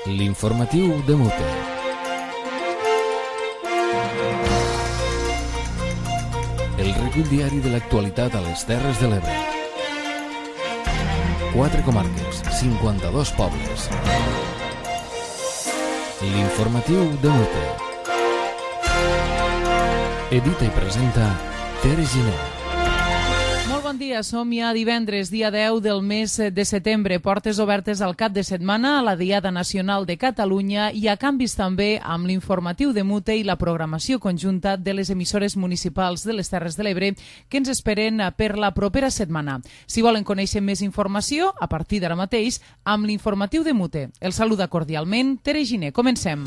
L'informatiu de Mute. El recull diari de l'actualitat a les Terres de l'Ebre. 4 comarques, 52 pobles. L'informatiu de Mute. Edita i presenta Tere Giner. Molt bon dia, som ja divendres, dia 10 del mes de setembre. Portes obertes al cap de setmana a la Diada Nacional de Catalunya i a canvis també amb l'informatiu de Mute i la programació conjunta de les emissores municipals de les Terres de l'Ebre que ens esperen per la propera setmana. Si volen conèixer més informació, a partir d'ara mateix, amb l'informatiu de Mute. El saluda cordialment Tere Giner. Comencem.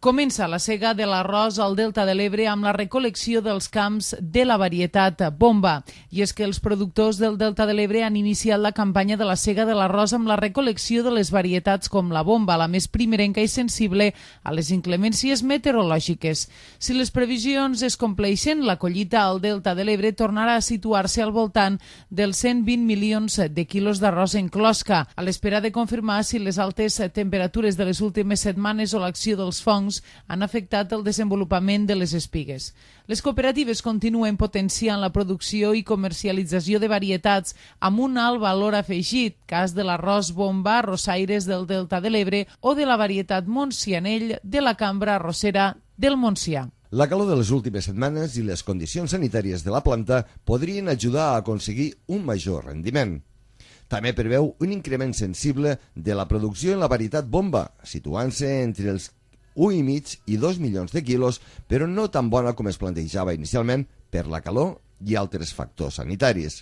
Comença la sega de l'arròs al Delta de l'Ebre amb la recol·lecció dels camps de la varietat Bomba. I és que els productors del Delta de l'Ebre han iniciat la campanya de la sega de l'arròs amb la recol·lecció de les varietats com la Bomba, la més primerenca i sensible a les inclemències meteorològiques. Si les previsions es compleixen, la collita al Delta de l'Ebre tornarà a situar-se al voltant dels 120 milions de quilos d'arròs en closca, a l'espera de confirmar si les altes temperatures de les últimes setmanes o l'acció dels fongs han afectat el desenvolupament de les espigues. Les cooperatives continuen potenciant la producció i comercialització de varietats amb un alt valor afegit, cas de l'arròs Bomba, arrossaires del Delta de l'Ebre o de la varietat Montsianell de la cambra arrossera del Montsià. La calor de les últimes setmanes i les condicions sanitàries de la planta podrien ajudar a aconseguir un major rendiment. També preveu un increment sensible de la producció en la varietat Bomba, situant-se entre els 1,5 i 2 milions de quilos, però no tan bona com es plantejava inicialment per la calor i altres factors sanitaris.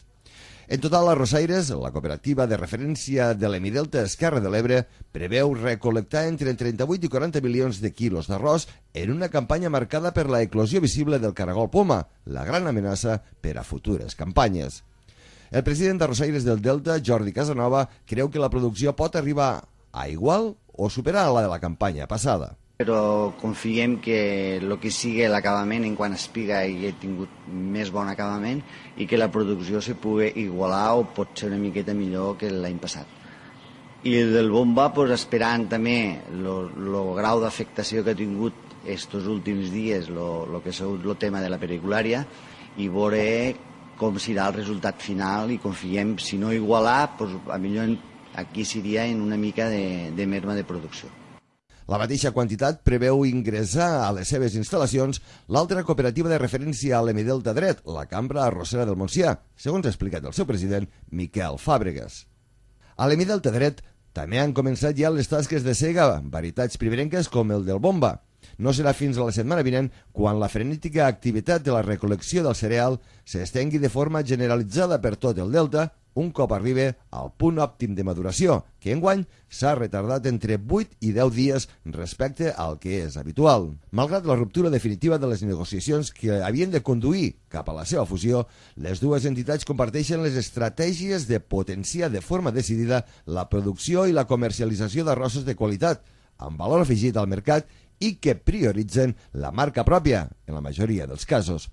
En total, Arrossaires, la cooperativa de referència de l'Hemidelta Esquerra de l'Ebre, preveu recol·lectar entre 38 i 40 milions de quilos d'arròs en una campanya marcada per la eclosió visible del caragol poma, la gran amenaça per a futures campanyes. El president d'Arrossaires del Delta, Jordi Casanova, creu que la producció pot arribar a igual o superar la de la campanya passada. Però confiem que el que sigui l'acabament en quant a espiga hi ha tingut més bon acabament i que la producció se pugui igualar o pot ser una miqueta millor que l'any passat. I del Bomba, esperant també el grau d'afectació que ha tingut estos últims dies, el que ha sigut el tema de la periculària, i veure com serà el resultat final i confiem, si no igualar, a millor aquí seria en una mica de merma de producció. La mateixa quantitat preveu ingressar a les seves instal·lacions l'altra cooperativa de referència a l'Hemidelta Dret, la cambra arrossera del Montsià, segons ha explicat el seu president, Miquel Fàbregas. A l'Hemidelta Dret també han començat ja les tasques de sega, varietats primerenques com el del Bomba. No serà fins a la setmana vinent quan la frenètica activitat de la recol·lecció del cereal s'estengui de forma generalitzada per tot el Delta, un cop arribi al punt òptim de maduració, que enguany s'ha retardat entre 8 i 10 dies respecte al que és habitual. Malgrat la ruptura definitiva de les negociacions que havien de conduir cap a la seva fusió, les dues entitats comparteixen les estratègies de potenciar de forma decidida la producció i la comercialització d'arrossos de qualitat, amb valor afegit al mercat i que prioritzen la marca pròpia, en la majoria dels casos.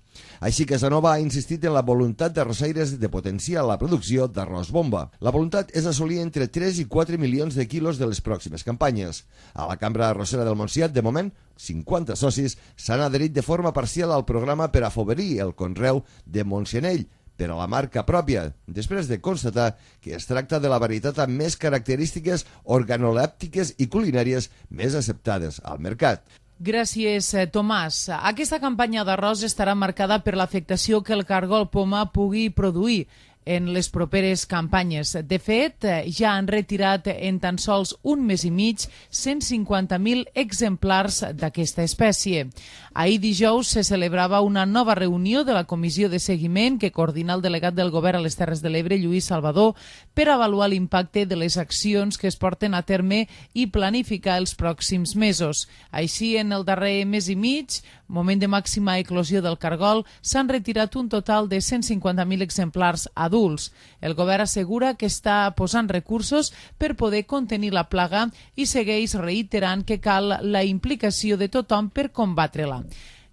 Així que Casanova ha insistit en la voluntat d'Arrossaires de potenciar la producció d'arròs Bomba. La voluntat és assolir entre 3 i 4 milions de quilos de les pròximes campanyes. A la cambra arrossera del Montsià, de moment, 50 socis s'han adherit de forma parcial al programa per afavorir el conreu de Montsianell, per a la marca pròpia, després de constatar que es tracta de la varietat amb més característiques organolèptiques i culinàries més acceptades al mercat. Gràcies, Tomàs. Aquesta campanya d'arròs estarà marcada per l'afectació que el caragol poma pugui produir en les properes campanyes. De fet, ja han retirat en tan sols un mes i mig 150.000 exemplars d'aquesta espècie. Ahir dijous se celebrava una nova reunió de la comissió de seguiment que coordina el delegat del govern a les Terres de l'Ebre, Lluís Salvador, per avaluar l'impacte de les accions que es porten a terme i planificar els pròxims mesos. Així, en el darrer mes i mig, moment de màxima eclosió del cargol, s'han retirat un total de 150.000 exemplars adults adults. El govern assegura que està posant recursos per poder contenir la plaga i segueix reiterant que cal la implicació de tothom per combatre-la.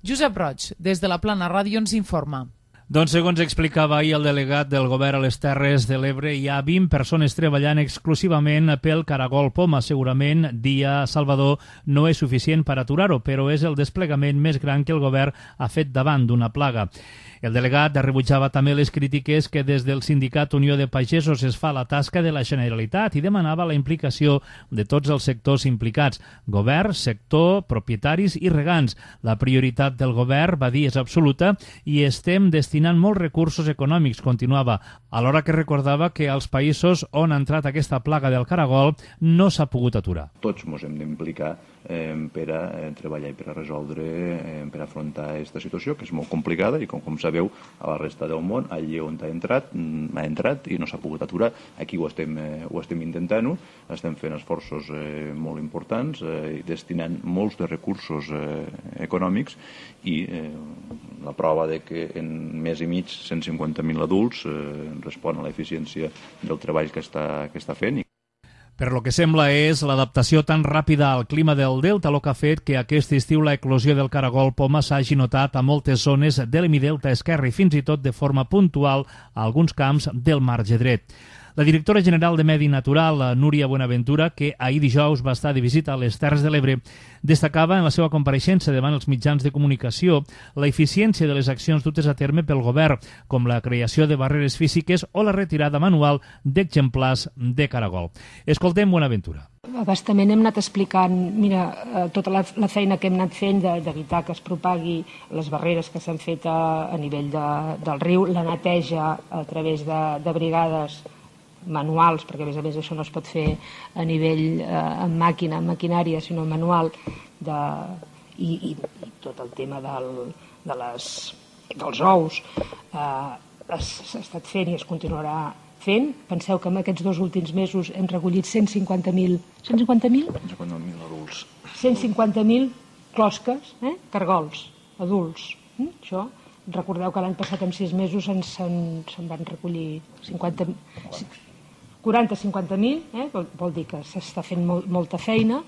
Josep Roig, des de la Plana Ràdio, ens informa. Doncs, segons explicava ahir el delegat del govern a les Terres de l'Ebre, hi ha 20 persones treballant exclusivament pel caragol poma. Segurament, dia Salvador, no és suficient per aturar-ho, però és el desplegament més gran que el govern ha fet davant d'una plaga. El delegat rebutjava també les crítiques que des del sindicat Unió de Pagesos es fa la tasca de la Generalitat i demanava la implicació de tots els sectors implicats, govern, sector, propietaris i regants. La prioritat del govern, va dir, és absoluta i estem destinant molts recursos econòmics, continuava, alhora que recordava que als països on ha entrat aquesta plaga del caragol no s'ha pogut aturar. Tots ens hem d'implicar per a treballar i per a resoldre, per a afrontar aquesta situació, que és molt complicada i, com sabeu, a la resta del món, allí on ha entrat i no s'ha pogut aturar. Aquí ho estem intentant-ho, estem fent esforços molt importants, destinant molts de recursos econòmics i la prova de que en mes i mig 150.000 adults respon a l'eficiència del treball que està fent. Per lo que sembla és l'adaptació tan ràpida al clima del Delta el que ha fet que aquest estiu la eclosió del caragol poma s'hagi notat a moltes zones de l'hemidelta esquerre i fins i tot de forma puntual a alguns camps del marge dret. La directora general de Medi Natural, Núria Buenaventura, que ahir dijous va estar de visita a les Terres de l'Ebre, destacava en la seva compareixença davant els mitjans de comunicació la eficiència de les accions dutes a terme pel govern, com la creació de barreres físiques o la retirada manual d'exemplars de caragol. Escoltem Buenaventura. Bastament hem anat explicant, tota la feina que hem anat fent d'evitar que es propagui les barreres que s'han fet a nivell del riu, la neteja a través de brigades manuals, perquè a més això no es pot fer a nivell amb màquina, amb maquinària, sinó manual, i tot el tema dels ous s'ha estat fent i es continuarà fent. Penseu que en aquests 2 últims mesos hem recollit 150.000 adults. 150.000 closques, cargols, adults. Això, recordeu que l'any passat en 6 mesos se'n van recollir 40-50.000, vol dir que s'està fent molta feina.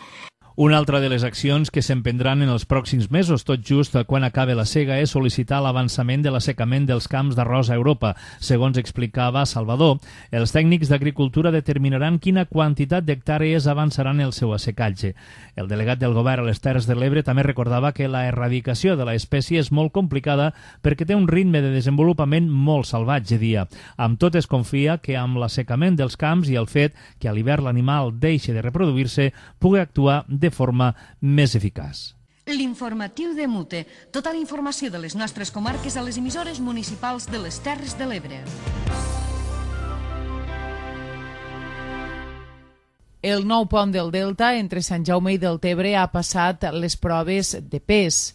Una altra de les accions que s'emprendran en els pròxims mesos, tot just quan acabe la sega, és sol·licitar l'avançament de l'assecament dels camps d'arròs a Europa. Segons explicava Salvador, els tècnics d'agricultura determinaran quina quantitat d'hectàrees avançaran el seu assecatge. El delegat del govern a les Terres de l'Ebre també recordava que la erradicació de l'espècie és molt complicada perquè té un ritme de desenvolupament molt salvatge, dia. Amb tot es confia que amb l'assecament dels camps i el fet que a l'hivern l'animal deixi de reproduir-se pugui actuar de forma més eficaç. L'informatiu de Mute. Tota la informació de les nostres comarques a les emissores municipals de les Terres de l'Ebre. El nou pont del Delta entre Sant Jaume i Deltebre ha passat les proves de pes.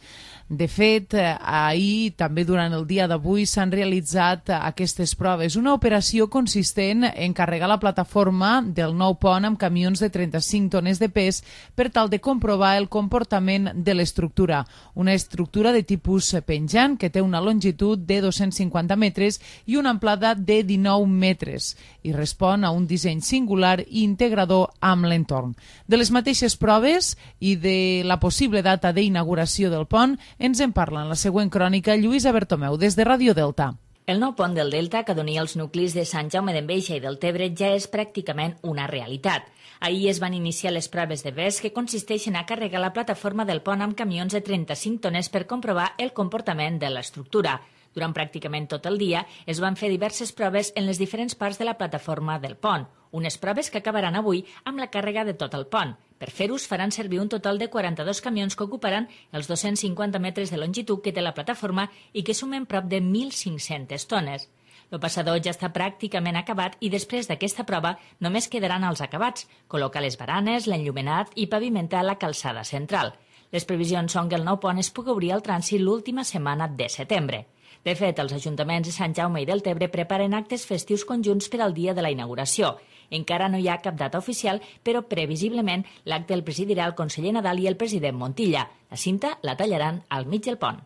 De fet, ahir, també durant el dia d'avui, s'han realitzat aquestes proves. Una operació consistent en carregar la plataforma del nou pont amb camions de 35 tones de pes per tal de comprovar el comportament de l'estructura. Una estructura de tipus penjant que té una longitud de 250 metres i una amplada de 19 metres i respon a un disseny singular i integrador amb l'entorn. De les mateixes proves i de la possible data d'inauguració del pont ens en parla en la següent crònica Lluïsa Bertomeu, des de Ràdio Delta. El nou pont del Delta, que donia els nuclis de Sant Jaume d'Enveja i Deltebre, ja és pràcticament una realitat. Ahir es van iniciar les proves de pes, que consisteixen a carregar la plataforma del pont amb camions de 35 tones per comprovar el comportament de l'estructura. Durant pràcticament tot el dia es van fer diverses proves en les diferents parts de la plataforma del pont. Unes proves que acabaran avui amb la càrrega de tot el pont. Per fer-ho faran servir un total de 42 camions que ocuparan els 250 metres de longitud que té la plataforma i que sumen prop de 1.500 tones. El passador ja està pràcticament acabat i després d'aquesta prova només quedaran els acabats, col·locar les baranes, l'enllumenat i pavimentar la calçada central. Les previsions són que el nou pont es pugui obrir al trànsit l'última setmana de setembre. De fet, els ajuntaments de Sant Jaume i Deltebre preparen actes festius conjunts per al dia de la inauguració. Encara no hi ha cap data oficial, però previsiblement l'acte el presidirà el conseller Nadal i el president Montilla. La cinta la tallaran al mig del pont.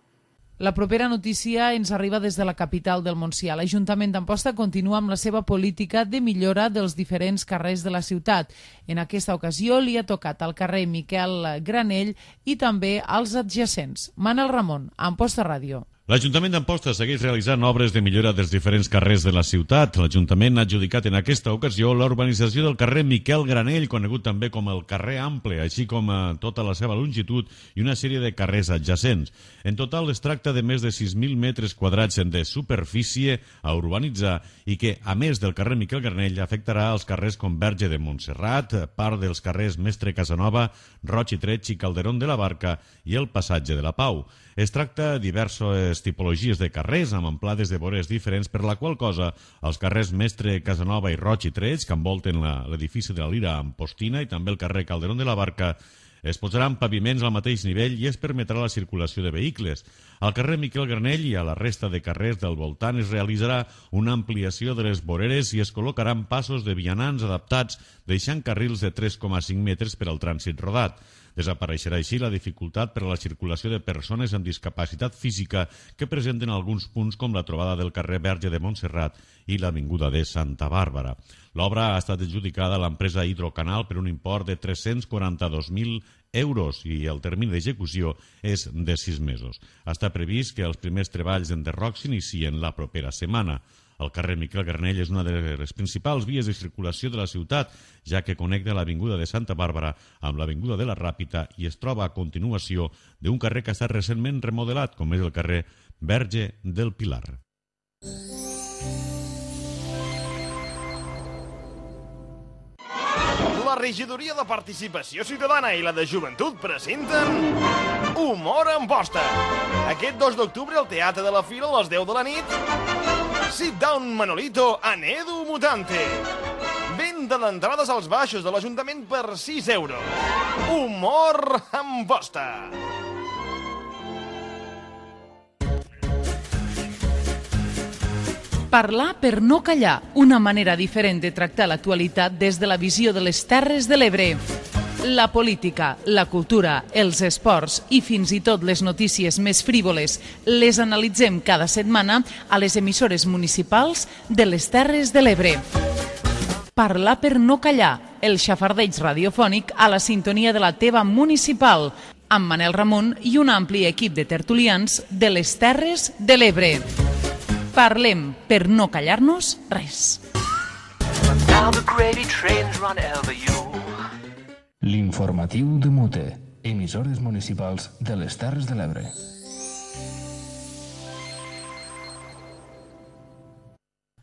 La propera notícia ens arriba des de la capital del Montsià. L'Ajuntament d'Amposta continua amb la seva política de millora dels diferents carrers de la ciutat. En aquesta ocasió li ha tocat al carrer Miquel Granell i també als adjacents. Manel Ramon, Amposta Ràdio. L'Ajuntament d'Amposta segueix realitzant obres de millora dels diferents carrers de la ciutat. L'Ajuntament ha adjudicat en aquesta ocasió la urbanització del carrer Miquel Granell, conegut també com el carrer Ample, així com tota la seva longitud i una sèrie de carrers adjacents. En total es tracta de més de 6.000 metres quadrats de superfície a urbanitzar i que, a més del carrer Miquel Granell, afectarà els carrers com Verge de Montserrat, part dels carrers Mestre Casanova, Roig i Tretx i Calderón de la Barca i el Passatge de la Pau. Es tracta de diverses tipologies de carrers amb amplades de vores diferents, per la qual cosa els carrers Mestre Casanova i Roig i Tretx, que envolten l'edifici de la Lira Ampostina, i també el carrer Calderón de la Barca, es posaran paviments al mateix nivell i es permetrà la circulació de vehicles. Al carrer Miquel Granell i a la resta de carrers del voltant es realitzarà una ampliació de les voreres i es col·locaran passos de vianants adaptats, deixant carrils de 3,5 metres per al trànsit rodat. Desapareixerà així la dificultat per a la circulació de persones amb discapacitat física que presenten alguns punts com la trobada del carrer Verge de Montserrat i l'avinguda de Santa Bàrbara. L'obra ha estat adjudicada a l'empresa Hidrocanal per un import de 342.000 euros i el termini d'execució és de 6 mesos. Està previst que els primers treballs d'enderroc s'inicien la propera setmana. El carrer Miquel Granell és una de les principals vies de circulació de la ciutat, ja que connecta l'avinguda de Santa Bàrbara amb l'avinguda de la Ràpita i es troba a continuació d'un carrer que ha estat recentment remodelat, com és el carrer Verge del Pilar. La Regidoria de Participació Ciutadana i la de Joventut presenten Humor a Amposta. Aquest 2 d'octubre al Teatre de la Fira a les 10 de la nit, Sit Down Manolito en Edu Mutante. Venda d'entrades als baixos de l'Ajuntament per 6 euros. Humor a Amposta. Parlar per no callar, una manera diferent de tractar l'actualitat des de la visió de les Terres de l'Ebre. La política, la cultura, els esports i fins i tot les notícies més frívoles les analitzem cada setmana a les emissores municipals de les Terres de l'Ebre. Parlar per no callar, el xafardeig radiofònic a la sintonia de la teva municipal, amb Manel Ramon i un ampli equip de tertulians de les Terres de l'Ebre. Parlem per no callar-nos res. L'informatiu de Mute, emissores municipals de les Terres de l'Ebre.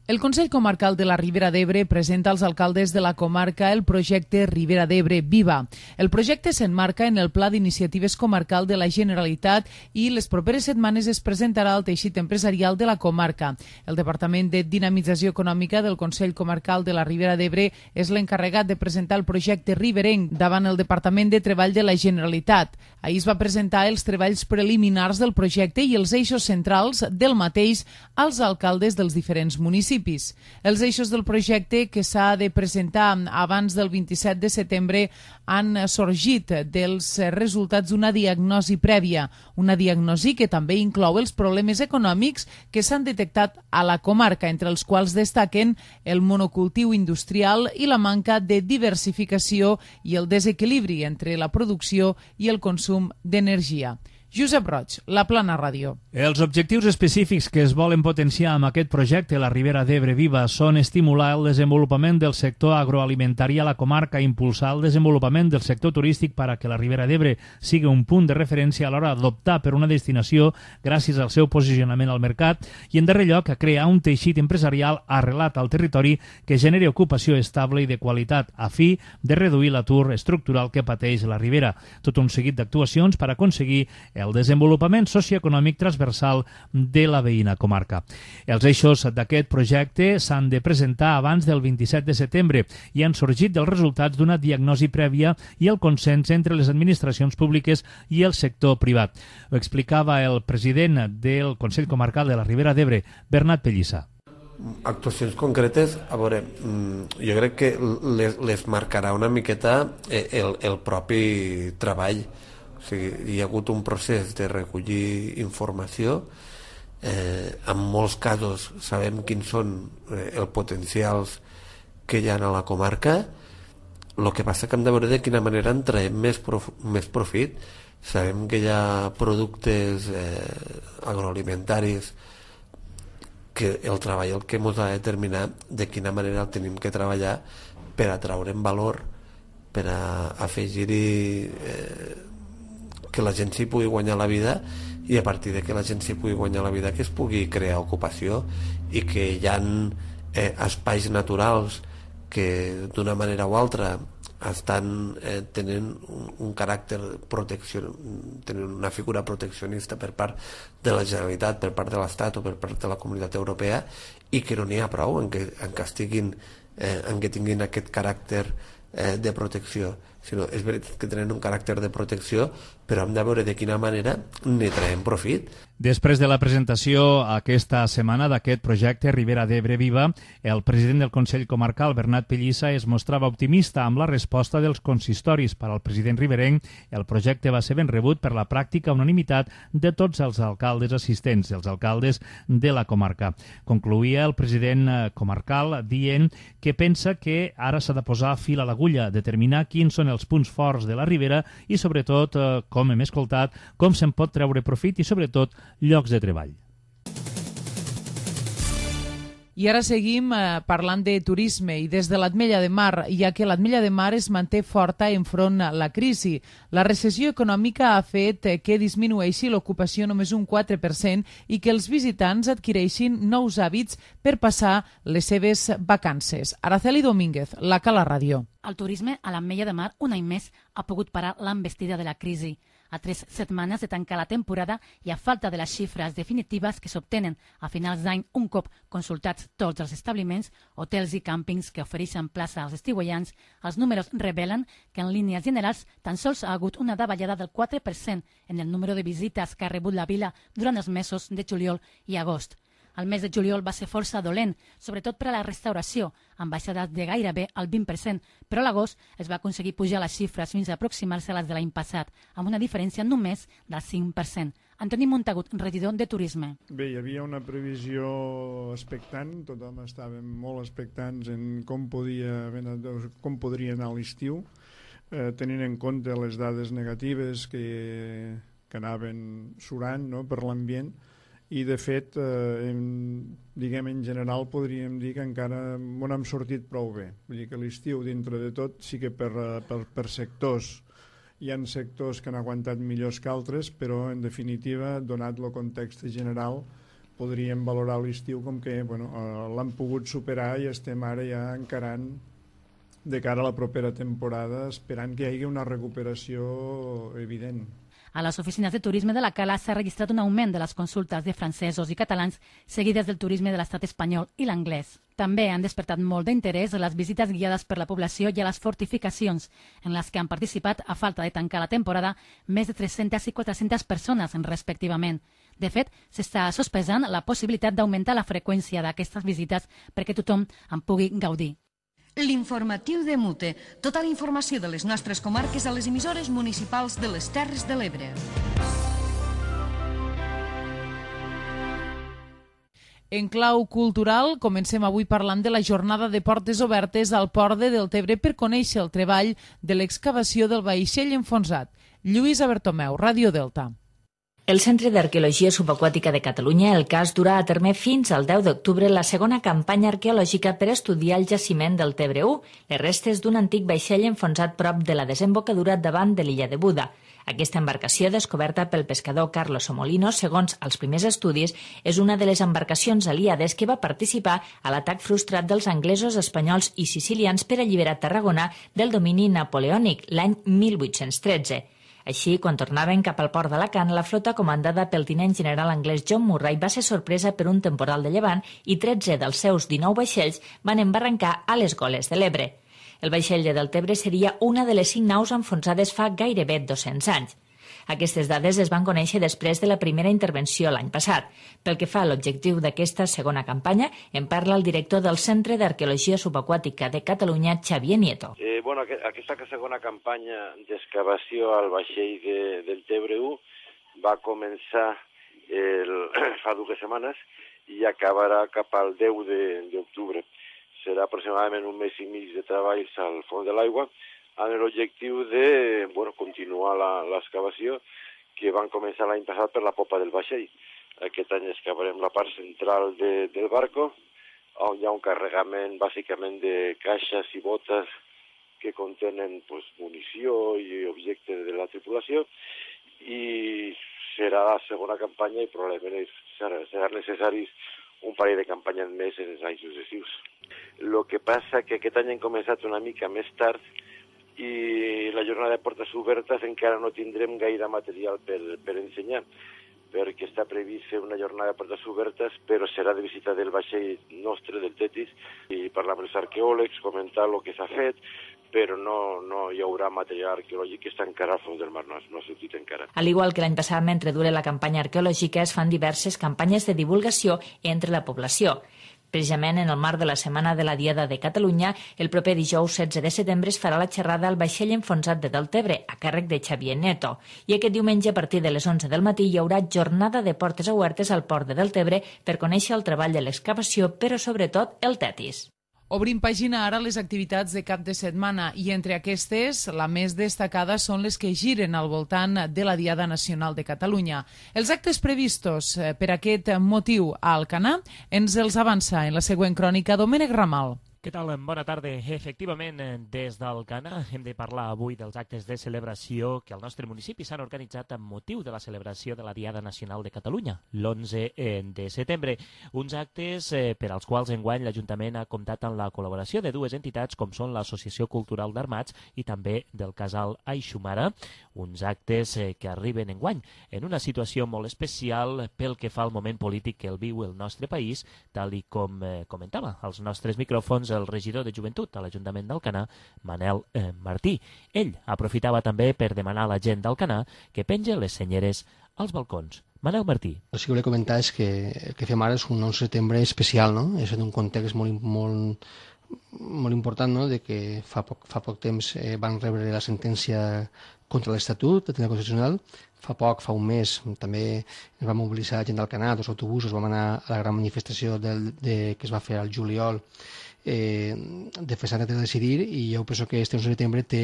El Consell Comarcal de la Ribera d'Ebre presenta als alcaldes de la comarca el projecte Ribera d'Ebre Viva. El projecte s'emmarca en el Pla d'Iniciatives Comarcal de la Generalitat i les properes setmanes es presentarà al teixit empresarial de la comarca. El Departament de Dinamització Econòmica del Consell Comarcal de la Ribera d'Ebre és l'encarregat de presentar el projecte riberenc davant el Departament de Treball de la Generalitat. Ahir es va presentar els treballs preliminars del projecte i els eixos centrals del mateix als alcaldes dels diferents municipis. Els eixos del projecte que s'ha de presentar abans del 27 de setembre han sorgit dels resultats d'una diagnosi prèvia, una diagnosi que també inclou els problemes econòmics que s'han detectat a la comarca, entre els quals destaquen el monocultiu industrial i la manca de diversificació i el desequilibri entre la producció i el consum d'energia. Josep Roig, La Plana Ràdio. Els objectius específics que es volen potenciar amb aquest projecte La Ribera d'Ebre Viva són estimular el desenvolupament del sector agroalimentari a la comarca, impulsar el desenvolupament del sector turístic per a que la Ribera d'Ebre sigui un punt de referència a l'hora d'optar per una destinació gràcies al seu posicionament al mercat i, en darrer lloc, a crear un teixit empresarial arrelat al territori que generi ocupació estable i de qualitat a fi de reduir l'atur estructural que pateix la Ribera. Tot un seguit d'actuacions per aconseguir el desenvolupament socioeconòmic transversal de la veïna comarca. Els eixos d'aquest projecte s'han de presentar abans del 27 de setembre i han sorgit dels resultats d'una diagnosi prèvia i el consens entre les administracions públiques i el sector privat. Ho explicava el president del Consell Comarcal de la Ribera d'Ebre, Bernat Pellissa. Actuacions concretes, a veure, jo crec que les marcarà una miqueta el propi treball. O O sigui, hi ha hagut un procés de recollir informació. En molts casos sabem quins són els potencials que hi ha a la comarca. El que passa que hem de veure de quina manera en traiem més profit. Sabem que hi ha productes agroalimentaris que el treball el que ens ha de determinar de quina manera el tenim que treballar per atraure en valor, per a afegir-hi que la gent s'hi pugui guanyar la vida, i a partir de que la gent s'hi pugui guanyar la vida que es pugui crear ocupació, i que hi ha espais naturals que d'una manera o altra estan tenint un caràcter tenen una figura proteccionista per part de la Generalitat, per part de l'Estat o per part de la Comunitat Europea, i que no n'hi ha prou en que tinguin aquest caràcter de protecció, sinó és veritat que tenen un caràcter de protecció, però hem de veure de quina manera ne traiem profit. Després de la presentació aquesta setmana d'aquest projecte Ribera d'Ebre Viva, el president del Consell Comarcal, Bernat Pellissa, es mostrava optimista amb la resposta dels consistoris. Per al president riberenc, el projecte va ser ben rebut per la pràctica unanimitat de tots els alcaldes assistents, els alcaldes de la comarca. Concloïa el president comarcal dient que pensa que ara s'ha de posar fil a l'agulla, determinar quins són els punts forts de la Ribera i, sobretot, com hem escoltat, com se'n pot treure profit i, sobretot, llocs de treball. I ara seguim parlant de turisme i des de l'Ametlla de Mar, ja que l'Ametlla de Mar es manté forta enfront a la crisi. La recessió econòmica ha fet que disminueixi l'ocupació només un 4% i que els visitants adquireixin nous hàbits per passar les seves vacances. Araceli Domínguez, la Cala Ràdio. El turisme a l'Ametlla de Mar, un any més, ha pogut parar l'envestida de la crisi. A 3 setmanes de tancar la temporada i a falta de les xifres definitives que s'obtenen a finals d'any un cop consultats tots els establiments, hotels i càmpings que ofereixen plaça als estiuejants, els números revelen que en línies generals tan sols ha hagut una davallada del 4% en el número de visites que ha rebut la vila durant els mesos de juliol i agost. El mes de juliol va ser força dolent, sobretot per a la restauració, amb baixades de gairebé el 20%, però a l'agost es va aconseguir pujar les xifres fins a aproximar-se a les de l'any passat, amb una diferència només del 5%. Antoni Montagut, regidor de Turisme. Bé, hi havia una previsió expectant, tothom estàvem molt expectants en com podria anar l'estiu, tenint en compte les dades negatives que anaven surant, no, per l'ambient. I, de fet, en general podríem dir que encara no hem sortit prou bé. Vull dir que l'estiu, dintre de tot, sí que per sectors hi ha sectors que han aguantat millors que altres, però, en definitiva, donat el context general, podríem valorar l'estiu com que l'han pogut superar i estem ara ja encarant de cara a la propera temporada, esperant que hi hagi una recuperació evident. A les oficines de turisme de la Cala s'ha registrat un augment de les consultes de francesos i catalans seguides del turisme de l'estat espanyol i l'anglès. També han despertat molt d'interès les visites guiades per la població i a les fortificacions, en les que han participat, a falta de tancar la temporada, més de 300 i 400 persones, respectivament. De fet, s'està sospesant la possibilitat d'augmentar la freqüència d'aquestes visites perquè tothom en pugui gaudir. L'informatiu de Mute. Tota la informació de les nostres comarques a les emissores municipals de les Terres de l'Ebre. En clau cultural, comencem avui parlant de la jornada de portes obertes al port de Deltebre per conèixer el treball de l'excavació del vaixell enfonsat. Lluïsa Bertomeu, Ràdio Delta. El Centre d'Arqueologia Subaquàtica de Catalunya, el CAS, durà a terme fins al 10 d'octubre la segona campanya arqueològica per estudiar el jaciment del Tebre 1, les restes d'un antic vaixell enfonsat prop de la desembocadura davant de l'illa de Buda. Aquesta embarcació, descoberta pel pescador Carlos Somolino, segons els primers estudis, és una de les embarcacions aliades que va participar a l'atac frustrat dels anglesos, espanyols i sicilians per alliberar Tarragona del domini napoleònic l'any 1813. Així, quan tornaven cap al port d'Alacant, la flota comandada pel tinent general anglès John Murray va ser sorpresa per un temporal de llevant i 13 dels seus 19 vaixells van embarrancar a les goles de l'Ebre. El vaixell de Deltebre seria una de les 5 naus enfonsades fa gairebé 200 anys. Aquestes dades es van conèixer després de la primera intervenció l'any passat. Pel que fa a l'objectiu d'aquesta segona campanya, en parla el director del Centre d'Arqueologia Subaquàtica de Catalunya, Xavier Nieto. Aquesta segona campanya d'excavació al vaixell del Tebre 1 va començar fa 2 setmanes i acabarà cap al 10 d'octubre. Serà aproximadament 1 mes i mig de treballs al fons de l'aigua amb l'objectiu de continuar l'excavació que van començar l'any passat per la popa del vaixell. Aquest any excavarem la part central del barco, on hi ha un carregament bàsicament de caixes i botes que contenen munició i objectes de la tripulació, i serà la segona campanya i probablement seran necessaris un parell de campanyes més en els anys successius. El que passa que aquest any hem començat una mica més tard i la jornada de portes obertes encara no tindrem gaire material per ensenyar, perquè està previst fer una jornada de portes obertes, però serà de visita del vaixell nostre, del Tetis, i parlar amb els arqueòlegs, comentar el que s'ha fet, però no hi haurà material arqueològic que està encara al fons del mar, no ha sortit encara. Al igual que l'any passat, mentre dure la campanya arqueològica, es fan diverses campanyes de divulgació entre la població. Precisament en el marc de la Setmana de la Diada de Catalunya, el proper dijous 16 de setembre es farà la xerrada al vaixell enfonsat de Deltebre, a càrrec de Xavier Nieto. I aquest diumenge, a partir de les 11 del matí, hi haurà jornada de portes obertes al port de Deltebre per conèixer el treball de l'excavació, però sobretot el Tetis. Obrim pàgina ara les activitats de cap de setmana i entre aquestes la més destacada són les que giren al voltant de la Diada Nacional de Catalunya. Els actes previstos per aquest motiu a Alcanar ens els avança en la següent crònica Domènec Ramal. Què tal? Bona tarda. Efectivament, des d'Alcanar hem de parlar avui dels actes de celebració que al nostre municipi s'han organitzat amb motiu de la celebració de la Diada Nacional de Catalunya, l'11 de setembre. Uns actes per als quals enguany l'Ajuntament ha comptat amb la col·laboració de 2 entitats com són l'Associació Cultural d'Armats i també del Casal Aixumara. Uns actes que arriben enguany en una situació molt especial pel que fa al moment polític que el viu el nostre país, tal i com comentava als nostres micròfons el regidor de Joventut a l'Ajuntament d'Alcanar, Manel Martí. Ell aprofitava també per demanar a la gent d'Alcanar que penja les senyeres als balcons. Manel Martí. El que volia comentar és que el que fem ara és un 11 de setembre especial, no? És en un context molt important, no? De que fa poc temps van rebre la sentència contra l'Estatut del Tribunal Constitucional. Fa un mes, també ens va mobilitzar gent d'Alcanar, 2 autobusos, vam anar a la gran manifestació que es va fer al juliol defensant el dret a decidir, i jo penso que este 11 de setembre té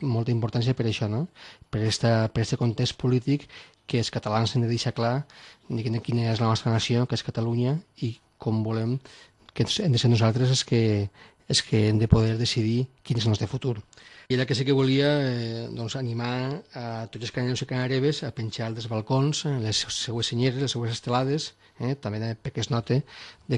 molta importància per això, no? Per aquest context polític que els catalans hem de deixar clar quina és la nostra nació, que és Catalunya, i com volem que hem de ser nosaltres els que hem de poder decidir quin és el nostre futur. I era que sí que volia animar a tots els cananeus i canareves a penjar dels balcons les seues senyeres, les seues estelades, també perquè es nota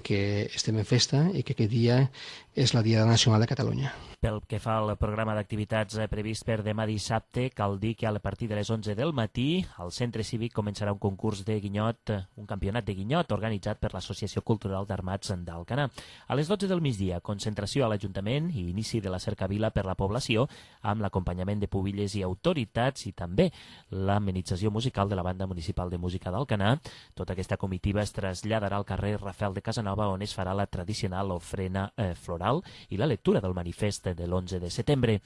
que estem en festa i que aquest dia és la Diada Nacional de Catalunya. Pel que fa al programa d'activitats previst per demà dissabte, cal dir que a partir de les 11 del matí al Centre Cívic començarà un concurs de guinyot, un campionat de guinyot organitzat per l'Associació Cultural d'Armats d'Alcanar. A les 12 del migdia, concentració a l'Ajuntament i inici de la cercavila per la població amb l'acompanyament de pubilles i autoritats i també l'amenització musical de la Banda Municipal de Música d'Alcanar. Tota aquesta comitiva es traslladarà al carrer Rafael de Casanova, on es farà la tradicional ofrena floral i la lectura del manifest de l'11 de setembre.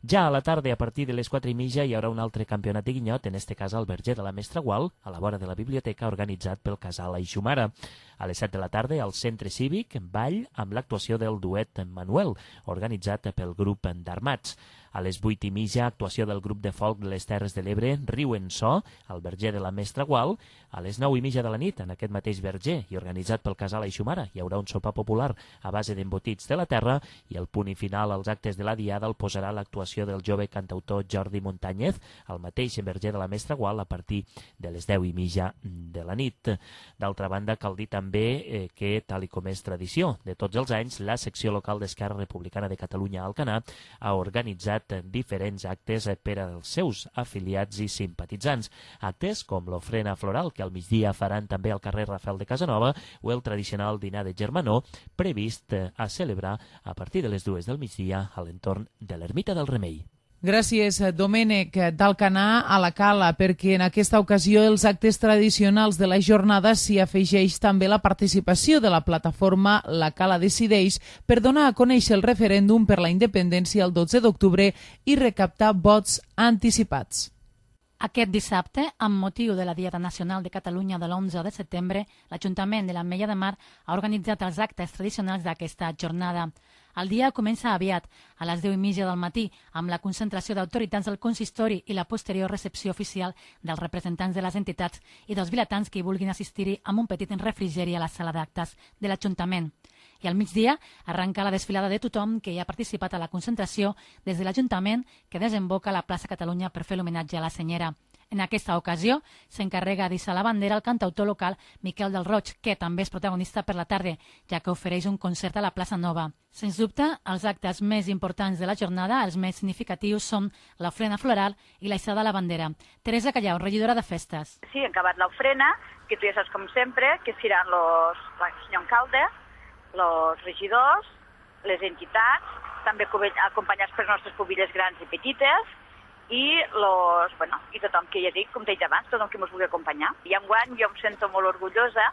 Ja a la tarda, a partir de les 4:30, hi haurà un altre campionat de guinyot, en este cas al Verger de la Mestra Gual, a la vora de la biblioteca, organitzat pel Casal Aixumara. A les 7 de la tarda, al Centre Cívic, ball amb l'actuació del duet Manuel, organitzat pel grup d'Armats. A les 8:30, actuació del grup de folk de les Terres de l'Ebre, Riu en So, al Verger de la Mestra Gual. A les 9:30 de la nit, en aquest mateix verger i organitzat pel Casal Aixumara, hi haurà un sopar popular a base d'embotits de la terra, i el punt final als actes de la Diada el posarà l'actuació del jove cantautor Jordi Montañez, al mateix Verger de la Mestra Gual, a partir de les 10:30 de la nit. D'altra banda, cal dir també que, tal i com és tradició de tots els anys, la secció local d'Esquerra Republicana de Catalunya a Alcanar ha organitzat diferents actes per als seus afiliats i simpatitzants. Actes com l'ofrena floral, que al migdia faran també al carrer Rafael de Casanova, o el tradicional dinar de germanor, previst a celebrar a partir de les 2 del migdia a l'entorn de l'Ermita del Remei. Gràcies, Domènec d'Alcanar a la Cala, perquè en aquesta ocasió els actes tradicionals de la jornada s'hi afegeix també la participació de la plataforma La Cala Decideix per donar a conèixer el referèndum per la independència el 12 d'octubre i recaptar vots anticipats. Aquest dissabte, amb motiu de la Diada Nacional de Catalunya de l'11 de setembre, l'Ajuntament de l'Ametlla de Mar ha organitzat els actes tradicionals d'aquesta jornada. El dia comença aviat, a les 10:30 del matí, amb la concentració d'autoritats del consistori i la posterior recepció oficial dels representants de les entitats i dels vilatans que hi vulguin assistir-hi amb un petit refrigeri a la sala d'actes de l'Ajuntament. I al migdia arranca la desfilada de tothom que hi ha participat a la concentració des de l'Ajuntament que desemboca a la plaça Catalunya per fer l'homenatge a la senyera. En aquesta ocasió s'encarrega d'hissar la bandera el cantautor local Miquel del Roig, que també és protagonista per la tarda, ja que ofereix un concert a la plaça Nova. Sens dubte, els actes més importants de la jornada, els més significatius, són l'ofrena floral i la hissada de la bandera. Teresa Callau, regidora de Festes. Sí, han acabat l'ofrena, que tu ja saps com sempre, que seran el senyor alcalde, els regidors, les entitats, també acompanyats per les nostres pubilles grans i petites, i tothom que ja dic, com deia abans, tothom que ens vulgui acompanyar. I enguany jo em sento molt orgullosa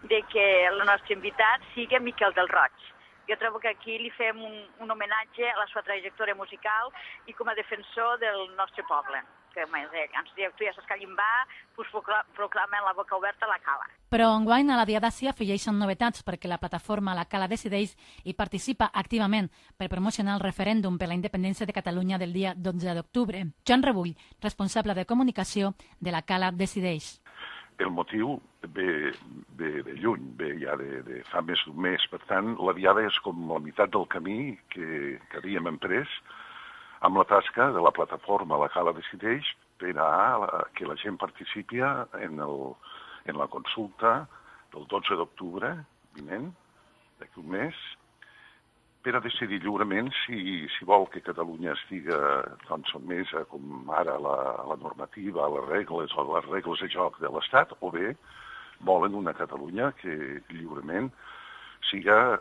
de que el nostre invitat sigui Miquel del Roig. Jo trobo que aquí li fem un homenatge a la seva trajectòria musical i com a defensor del nostre poble. Que tu ja saps que allà va, proclama la boca oberta a la Cala. Però enguany a la Diada s'hi afegeixen novetats perquè la plataforma La Cala Decideix hi participa activament per promocionar el referèndum per la independència de Catalunya del dia 12 d'octubre. Joan Rebull, responsable de comunicació de La Cala Decideix. El motiu ve de lluny, ve ja de fa més d'un mes. Per tant, la Diada és com la meitat del camí que havíem emprès amb la tasca de la plataforma La Cala Decideix per a que la gent participi en la consulta del 12 d'octubre vinent, d'aquí un mes, per a decidir lliurement si vol que Catalunya estigui sotmesa com ara a la normativa, a les regles o les regles de joc de l'Estat, o bé volen una Catalunya que lliurement siga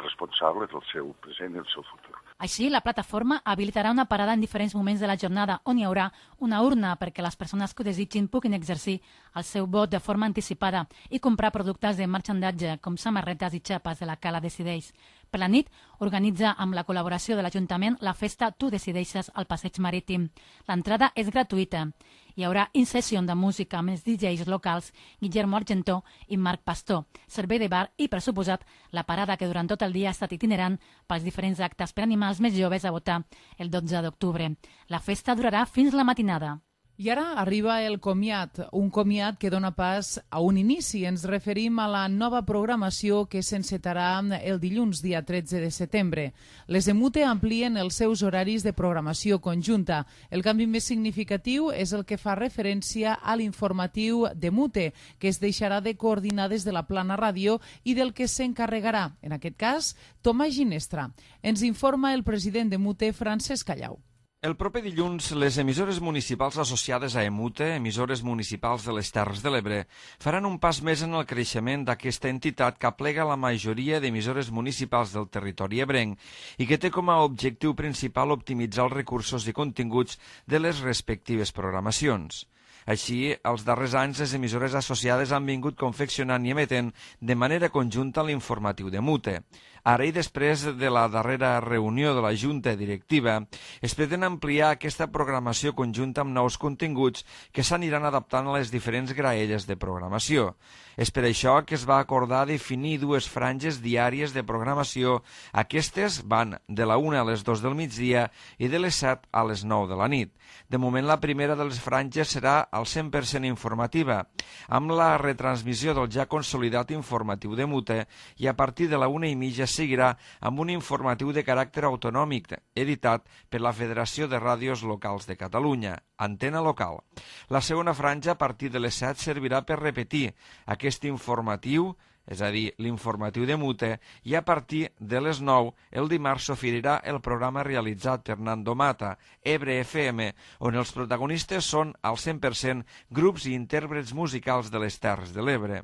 responsable del seu present i el seu futur. Així, la plataforma habilitarà una parada en diferents moments de la jornada on hi haurà una urna perquè les persones que ho desitgin puguin exercir el seu vot de forma anticipada i comprar productes de marxandatge com samarretes i xapes de La Cala Decideix. Per la nit, organitza amb la col·laboració de l'Ajuntament la festa Tu Decideixes al Passeig Marítim. L'entrada és gratuïta. Hi haurà in-session de música amb els DJs locals Guillermo Argentó i Marc Pastor, servei de bar i, per suposat, la parada que durant tot el dia ha estat itinerant pels diferents actes per animar els més joves a votar el 12 d'octubre. La festa durarà fins la matinada. I ara arriba el comiat, un comiat que dona pas a un inici. Ens referim a la nova programació que s'encetarà el dilluns, dia 13 de setembre. Les EMUTE amplien els seus horaris de programació conjunta. El canvi més significatiu és el que fa referència a l'informatiu d'EMUTE, que es deixarà de coordinar des de la Plana Ràdio i del que s'encarregarà, en aquest cas, Tomàs Ginestra. Ens informa el president d'EMUTE, Francesc Callau. El proper dilluns, les emissores municipals associades a EMUTE, emissores municipals de les Terres de l'Ebre, faran un pas més en el creixement d'aquesta entitat que aplega la majoria d'emissores municipals del territori ebrenc i que té com a objectiu principal optimitzar els recursos i continguts de les respectives programacions. Així, els darrers anys, les emissores associades han vingut confeccionant i emetent de manera conjunta l'informatiu d'EMUTE. Ara i després de la darrera reunió de la Junta Directiva, es pretén ampliar aquesta programació conjunta amb nous continguts que s'aniran adaptant a les diferents graelles de programació. És per això que es va acordar definir dues franges diàries de programació. Aquestes van de la 1 a les 2 del migdia i de les 7 a les 9 de la nit. De moment, la primera de les franges serà al 100% informativa, amb la retransmissió del ja consolidat informatiu d'EMUTE i a partir de la 1:30 seguirà amb un informatiu de caràcter autonòmic editat per la Federació de Ràdios Locals de Catalunya, Antena Local. La segona franja a partir de les 7 servirà per repetir aquest informatiu, és a dir, l'informatiu d'EMUTE, i a partir de les 9 el dimarts s'oferirà el programa realitzat per Nando Mata, Ebre FM, on els protagonistes són al 100% grups i intèrprets musicals de les Terres de l'Ebre.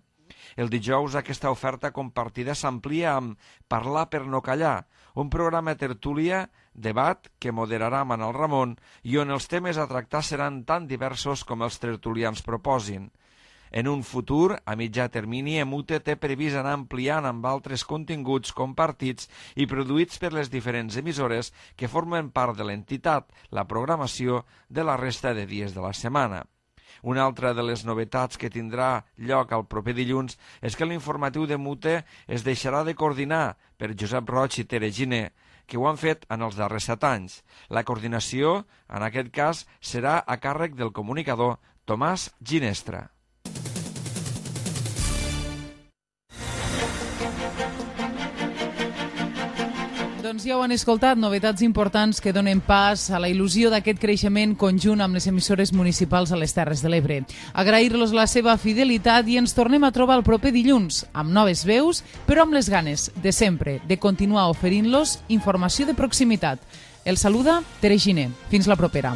El dijous aquesta oferta compartida s'amplia amb Parlar per no callar, un programa tertúlia debat que moderarà Manel Ramon i on els temes a tractar seran tan diversos com els tertulians proposin. En un futur, a mitjà termini, EMUTE té previst anar ampliant amb altres continguts compartits i produïts per les diferents emissores que formen part de l'entitat, la programació de la resta de dies de la setmana. Una altra de les novetats que tindrà lloc el proper dilluns és que l'informatiu d'EMUTE es deixarà de coordinar per Josep Roig i Tere Giner, que ho han fet en els darrers 7 anys. La coordinació, en aquest cas, serà a càrrec del comunicador Tomàs Ginestra. Doncs ja ho han escoltat, novetats importants que donen pas a la il·lusió d'aquest creixement conjunt amb les emissores municipals a les Terres de l'Ebre. Agrair-los la seva fidelitat i ens tornem a trobar el proper dilluns, amb noves veus, però amb les ganes de sempre, de continuar oferint-los informació de proximitat. El saluda Tere Giner. Fins la propera.